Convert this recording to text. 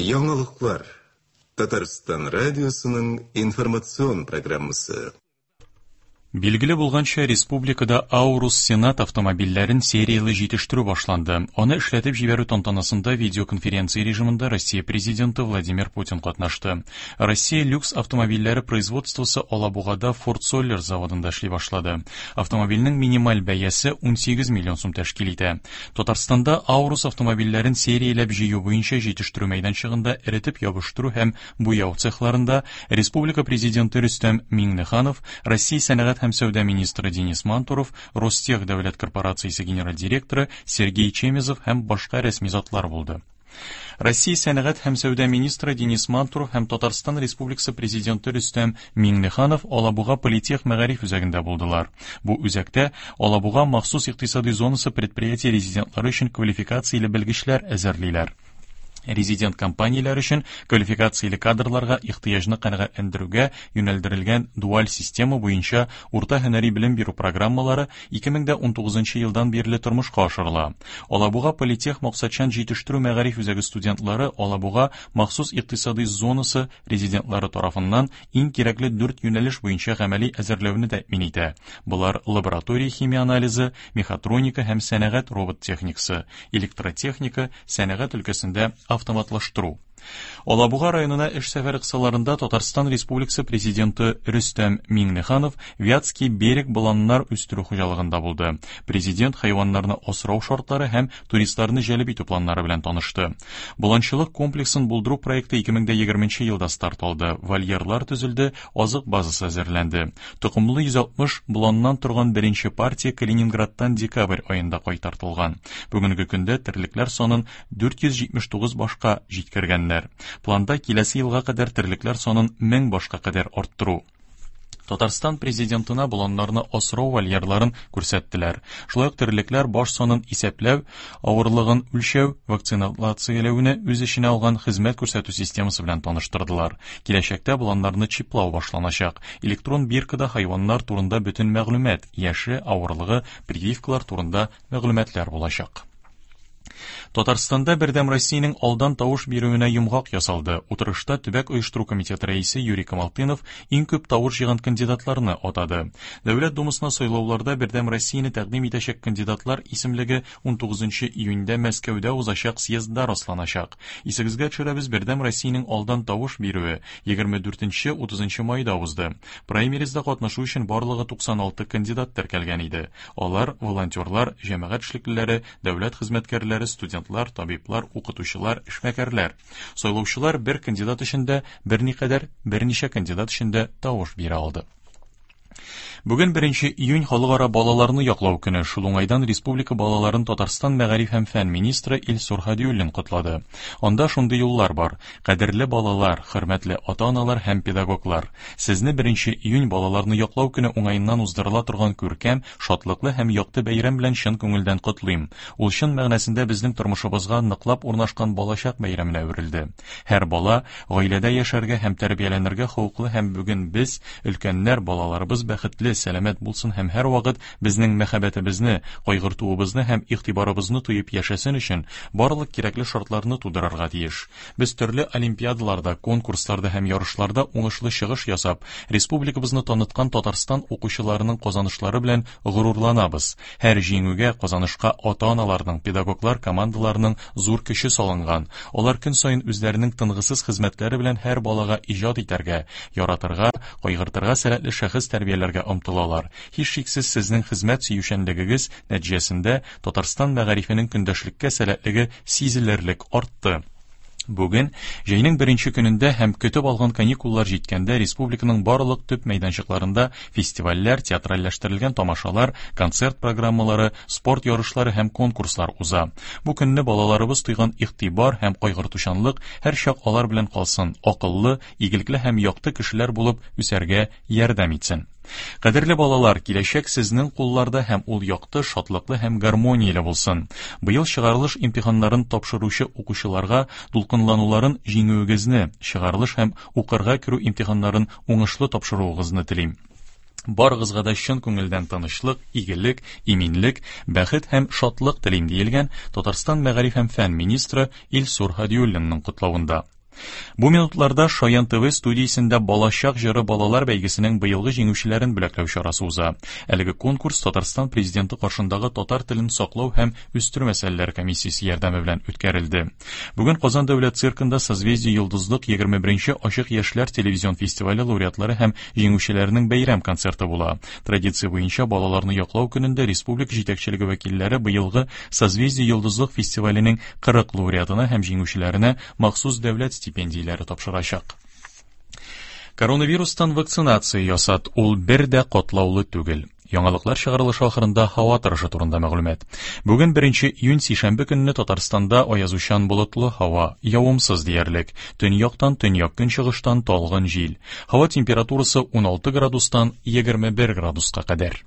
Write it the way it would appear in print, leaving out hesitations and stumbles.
Яңалыклар. Татарстан радиосының информацион программасы. Билгеле булганча, республикада Аурус Сенат автомобильләрен серияле җитештерү башланды. Аны эшләтеп җибәрү тантанасында видеоконференция режимында Россия Президенты Владимир Путин катнашты. Россия люкс автомобильләре производствосы Алабугада Ford Soller заводында эшли башлады. Автомобильнең минималь бәясе 18 миллион сум тәшкил итә. Татарстанда Аурус автомобильләрен серияләп җыю буенча җитештерү мәйданчыгында эретеп ябыштыру һәм буяу цехларында республика Президенты Рөстәм Миңнеханов, Россия сәнәгать һәм сәүдә министры Денис Мантуров, Ростех дәүләт корпорациясе генераль директоры Сергей Чемезов һәм башка рәсми затлар булды. Россия сәнәгать һәм сәүдә министры Денис Мантуров һәм Татарстан Республикасы Президенты Рөстәм Миңнеханов Алабуга политех мәгариф үзәгендә булдылар. Бу үзәктә Алабуга махсус икътисади зонасы предприятие резидентлары өчен квалификацияле белгечләр әзерлиләр. Резидент компанияләр өчен квалификацияле кадрларга ихтыяҗны канәгатьләндерүгә юнәлдерелгән дуаль система буенча урта һөнәри белем бирү программалары 2019 елдан бирле тормышка ашырыла. Алабуга политех максатчан җитештерү мәгариф үзәге студентлары Алабуга махсус икътисади зонасы резидентлары тарафыннан иң кирәкле дүрт юнәлеш буенча гамәли әзерләүне тәэмин итә. Болар лаборатория химия анализы, мехатроника һәм сәнәгать робот техникасы, электротехника, сәнәгать өлкәсендә автоматлаштыру. Алабуга районына эш сәфәре кысаларында Татарстан Республикасы Президенты Рөстәм Миңнеханов Вятский берег боланнар үстерү хуҗалыгында булды. Президент хайваннарны асрау шартлары һәм туристларны җәлеп итү планнары белән танышты. Боланчылык комплексын булдыру проекты 2020 елда старт алды. Вольерлар төзелде, азык базасы әзерләнде. Токымлы 160 боланнан торган беренче партия Калининградтан декабрь аенда кайтартылган. Бүгенге көндә терлекләр санын 479 башка җиткергәннәр. Планда киләсе елга кадәр терлекләр санын 1000 башка кадәр арттыру. Татарстан президентына боланнарны асрау вольерларын күрсәттеләр. Шулай ук терлекләр баш санын исәпләү, авырлыгын үлчәү, вакцинацияләүне үз эченә алган хезмәт күрсәтү системасы белән таныштырдылар. Киләчәктә боланнарны чиплау башланачак. Электрон биркада хайваннар турында бөтен мәгълүмат, яше, авырлыгы, прививкалар турында мәгълүматлар булачак. Татарстанда Бердәм Россиянең алдан тавыш бирүенә йомгак ясалды. Утырышта төбәк оештыру комитеты рәисе Юрий Камалтынов иң күп тавыш җыйган кандидатларны атады. Дәүләт Думасына сайлауларда Бердәм Россияне тәкъдим итәчәк кандидатлар исемлеге 19 июньдә Мәскәүдә узачак съездда расланачак. Исегезгә төшерәбез, Бердәм Россиянең алдан тавыш бирүе 24-30 майда узды. Праймеризда катнашу өчен барлыгы 96 кандидат теркәлгән иде. Алар волонтерлар, җәмәгать эшлеклеләре, дәүләт хезмәткәрләре, студентлар, табиблар, укытучылар, эшмәкәрләр. Сайлаучылар бер кандидат өчен дә берникадәр, берничә кандидат өчен дә тавыш бирә алды. Бүген 1 июнь халыкара балаларны яклау көне. Шул уңайдан республика балаларын Татарстан мәгариф һәм фән министры Илсур Һадиуллин котлады. Анда шундый юллар бар: Кадерле балалар, хөрмәтле ата-аналар һәм педагоглар, сезне 1 июнь балаларны яклау көне уңаеннан уздырыла торган күркәм, шатлыклы һәм якты бәйрәм белән чын күңелдән котлыйм. Ул чын мәгънәсендә безнең тормышыбызга ныклап урнашкан балачак бәйрәменә әверелде. Һәр бала гаиләдә яшәргә һәм тәрбияләнергә хокуклы һәм бүген без, өлкәннәр, балаларыбыз бәхетле, сәламәт булсын һәм һәрвакыт безнең мәхәббәтебезне, кайгыртуыбызны һәм игътибарыбызны тоеп яшәсен өчен барлык кирәкле шартларны тудырырга тиеш. Без төрле олимпиадаларда, конкурсларда һәм ярышларда уңышлы чыгыш ясап, республикабызны таныткан Татарстан укучыларының казанышлары белән горурланабыз. Һәр җиңүгә, казанышка ата-аналарның, педагоглар командаларының зур көче салынган. Алар көн саен үзләренең тынгысыз хезмәтләре белән һәр балага иҗат итәргә, яратырга, кайгыртырга сәләтле шәхес тәрбияләргә омтылалар. Һичшиксез сезнең хезмәт сөючәнлегегез нәтиҗәсендә Татарстан мәгарифенең көндәшлеккә сәләтлеге сизелерлек артты. Бүген, җәйнең беренче көнендә һәм көтеп алган каникуллар җиткәндә республиканың барлык төп мәйданчыкларында фестивальләр, театральләштерелгән тамашалар, концерт программалары, спорт ярышлары һәм конкурслар уза. Бу көнне балаларыбыз тойган игътибар һәм кайгыртучанлык һәрчак алар белән калсын, акыллы, игелекле һәм якты кешеләр булып үсәргә ярдәм итсен. Кадерле балалар, киләчәк сезнең кулларда һәм ул якты, шатлыклы һәм гармонияле булсын. Быел чыгарылыш имтиханнарын тапшыручы укучыларга дулкынлануларын җиңүегезне, чыгарылыш һәм укырга керү имтиханнарын уңышлы тапшыруыгызны телим. Барыгызга да чын күңелдән тынычлык, игелек, иминлек, бәхет һәм шатлык телим, диелгән Татарстан мәгариф һәм фән министры Илсур Һадиуллинның котлавында. Бу минутларда Шаян ТВ студиясендә Балачак җыры балалар бәйгесенең быелгы җиңүчеләрен бүләкләү чарасы уза. Әлеге конкурс Татарстан Президенты каршындагы татар телен саклау һәм үстерү мәсьәләләре комиссиясе ярдәме белән үткәрелде. Бүген Казан дәүләт циркында Созвездие Йолдызлык 21 нче ачык яшьләр телевизион фестивале лауреатлары һәм җиңүчеләренең бәйрәм концерты була. Традиция буенча балаларны яклау көнендә республика җитәкчелеге вәкилләре быелгы Созвездие Йолдызлык фестиваленең 40 лауреатына һәм җиңүчеләренә махсус дәүләт стипендияләре тапшырачак. Коронавирустан вакцинация ясат, ул бер дә катлаулы түгел. Яңалыклар чыгарылышы ахырында һава торышы турында мәгълүмат. Бүген 1 июнь сишәмбе көнне Татарстанда аязучан болытлы һава, явымсыз диярлек. Төньяктан, төньяк-көнчыгыштан талгын җил. Һава температурасы 16 градустан 21 градуска кадәр.